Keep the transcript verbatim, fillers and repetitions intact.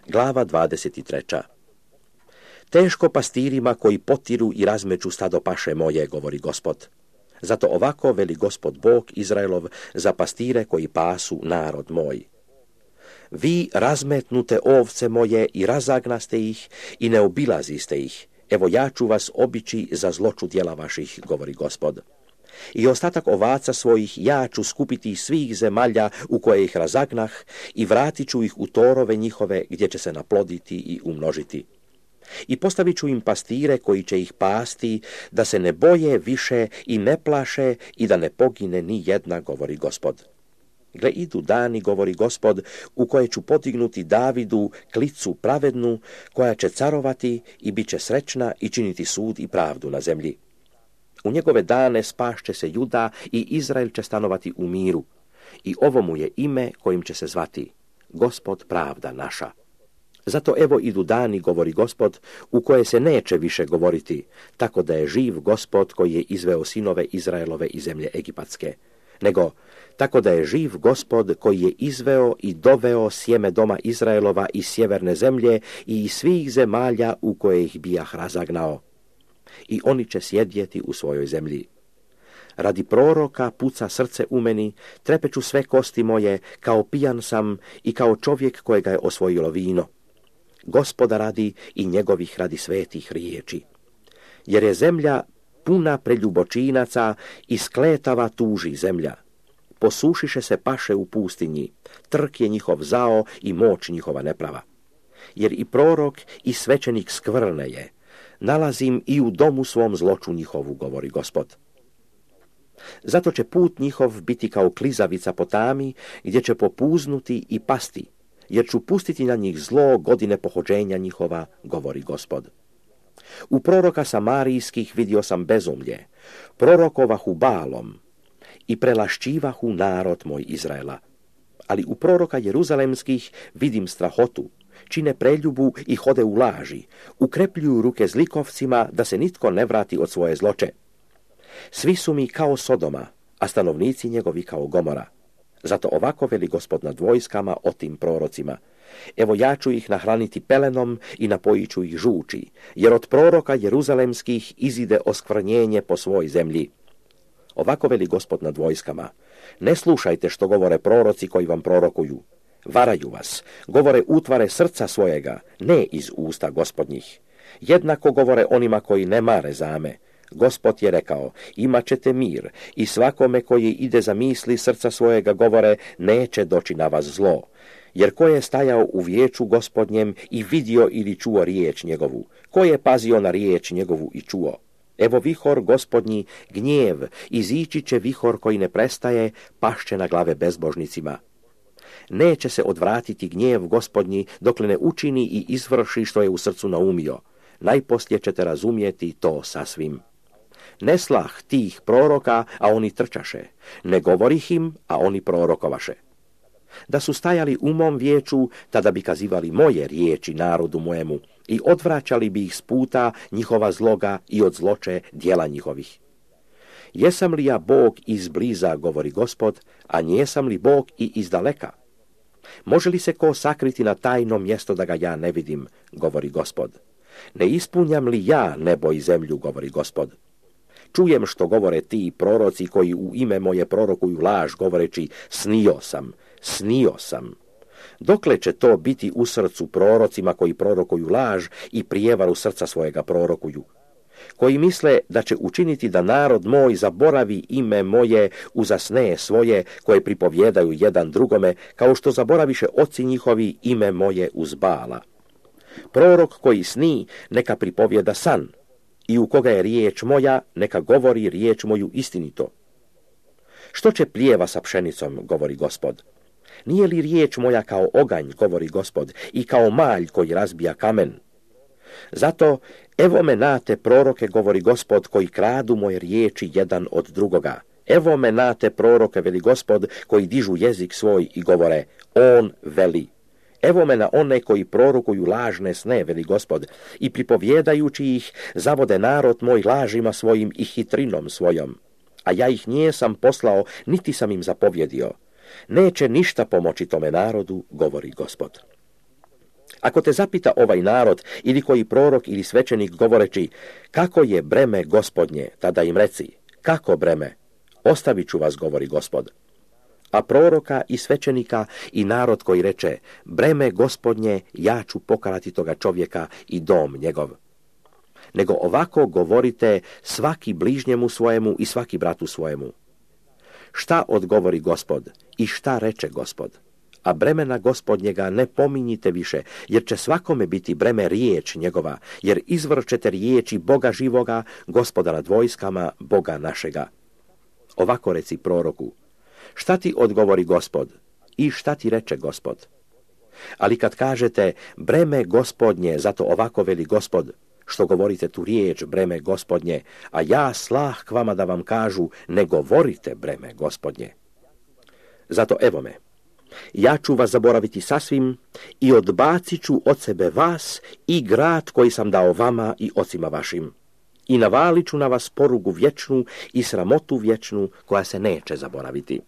Glava dvadeset tri. Teško pastirima koji potiru i razmeću stado paše moje, govori Gospod. Zato ovako veli Gospod Bog Izraelov za pastire koji pasu narod moj. Vi razmetnute ovce moje i razagnaste ih i ne obilaziste ih. Evo ja ću vas obići za zloču djela vaših, govori Gospod. I ostatak ovaca svojih ja ću skupiti iz svih zemalja u koje ih razagnah i vratit ću ih u torove njihove gdje će se naploditi i umnožiti. I postavit ću im pastire koji će ih pasti, da se ne boje više i ne plaše i da ne pogine ni jedna, govori Gospod. Gle, idu dani, govori Gospod, u koje ću podignuti Davidu klicu pravednu, koja će carovati i bit će srećna i činiti sud i pravdu na zemlji. U njegove dane spašće se Juda i Izrael će stanovati u miru. I ovo mu je ime kojim će se zvati Gospod pravda naša. Zato evo idu dani, govori Gospod, u koje se neće više govoriti, tako da je živ Gospod koji je izveo sinove Izraelove iz zemlje Egipatske, nego tako da je živ Gospod koji je izveo i doveo sjeme doma Izraelova iz sjeverne zemlje i iz svih zemalja u koje ih bijah razagnao. I oni će sjedjeti u svojoj zemlji. Radi proroka puca srce u meni, trepeću sve kosti moje, kao pijan sam i kao čovjek kojega je osvojilo vino. Gospoda radi i njegovih radi svetih riječi. Jer je zemlja puna preljubočinaca i skletava tuži zemlja. Posušiše se paše u pustinji, trk je njihov zao i moć njihova neprava. Jer i prorok i svećenik skvrne je, nalazim i u domu svom zloču njihovu, govori Gospod. Zato će put njihov biti kao klizavica po tami, gdje će popuznuti i pasti, jer ću pustiti na njih zlo godine pohođenja njihova, govori Gospod. U proroka samarijskih vidio sam bezumlje, prorokovahu Baalom i prelašćivahu narod moj Izraela. Ali u proroka jeruzalemskih vidim strahotu, čine preljubu i hode u laži, ukrepljuju ruke zlikovcima da se nitko ne vrati od svoje zloče. Svi su mi kao Sodoma, a stanovnici njegovi kao Gomora. Zato ovako veli Gospod nad vojskama o tim prorocima. Evo ja ću ih nahraniti pelenom i napojit ću ih žuči, jer od proroka jeruzalemskih izide oskvrnjenje po svoj zemlji. Ovako veli Gospod nad vojskama. Ne slušajte što govore proroci koji vam prorokuju. Varaju vas, govore utvare srca svojega, ne iz usta Gospodnjih. Jednako govore onima koji ne mare zame. Gospod je rekao, imat ćete mir i svakome koji ide za misli srca svojega govore, neće doći na vas zlo. Jer ko je stajao u vijeću Gospodnjem i vidio ili čuo riječ njegovu? Ko je pazio na riječ njegovu i čuo? Evo vihor Gospodnji, gnjev, izići će vihor koji ne prestaje, pašće na glave bezbožnicima. Neće se odvratiti gnjev Gospodnji dokle ne učini i izvrši što je u srcu naumio. Najposlije ćete razumjeti to sasvim. Ne slah tih proroka, a oni trčaše, ne govorih im, a oni prorokovaše. Da su stajali u mom vijeću, tada bi kazivali moje riječi narodu mojemu i odvraćali bi ih s puta njihova zloga i od zloče djela njihovih. Jesam li ja Bog izbliza, govori Gospod, a njesam li Bog i izdaleka? Može li se ko sakriti na tajno mjesto da ga ja ne vidim, govori Gospod. Ne ispunjam li ja nebo i zemlju, govori Gospod. Čujem što govore ti proroci koji u ime moje prorokuju laž, govoreći snio sam, snio sam. Dokle će to biti u srcu prorocima koji prorokuju laž i prijevaru srca svojega prorokuju? Koji misle da će učiniti da narod moj zaboravi ime moje uza sne svoje koje pripovjedaju jedan drugome, kao što zaboraviše oci njihovi ime moje uz Baala. Prorok koji sni, neka pripovjeda san, i u koga je riječ moja, neka govori riječ moju istinito. Što će plijeva sa pšenicom, govori Gospod? Nije li riječ moja kao oganj, govori Gospod, i kao malj koji razbija kamen? Zato, evo me nate proroke, govori Gospod, koji kradu moje riječi jedan od drugoga. Evo me nate proroke, veli Gospod, koji dižu jezik svoj i govore, on veli. Evo me na one koji prorokuju lažne sne, veli Gospod, i pripovjedajući ih, zavode narod moj lažima svojim i hitrinom svojom. A ja ih nijesam poslao, niti sam im zapovjedio. Neće ništa pomoći tome narodu, govori Gospod. Ako te zapita ovaj narod ili koji prorok ili svećenik govoreći kako je breme Gospodnje, tada im reci, kako breme? Ostavit ću vas, govori Gospod. A proroka i svećenika i narod koji reče, breme Gospodnje, ja ću pokarati toga čovjeka i dom njegov. Nego ovako govorite svaki bližnjemu svojemu i svaki bratu svojemu. Šta odgovori Gospod i šta reče Gospod? A bremena Gospodnjega ne pominjite više, jer će svakome biti breme riječ njegova, jer izvrćete riječi Boga živoga, Gospoda nad vojskama, Boga našega. Ovako reci proroku, šta ti odgovori Gospod i šta ti reče Gospod? Ali kad kažete breme Gospodnje, zato ovako veli Gospod, što govorite tu riječ breme Gospodnje, a ja slah k vama da vam kažu, ne govorite breme Gospodnje. Zato evo me, ja ću vas zaboraviti sasvim i odbacit ću od sebe vas i grad koji sam dao vama i ocima vašim. I navalit ću na vas porugu vječnu i sramotu vječnu koja se neće zaboraviti.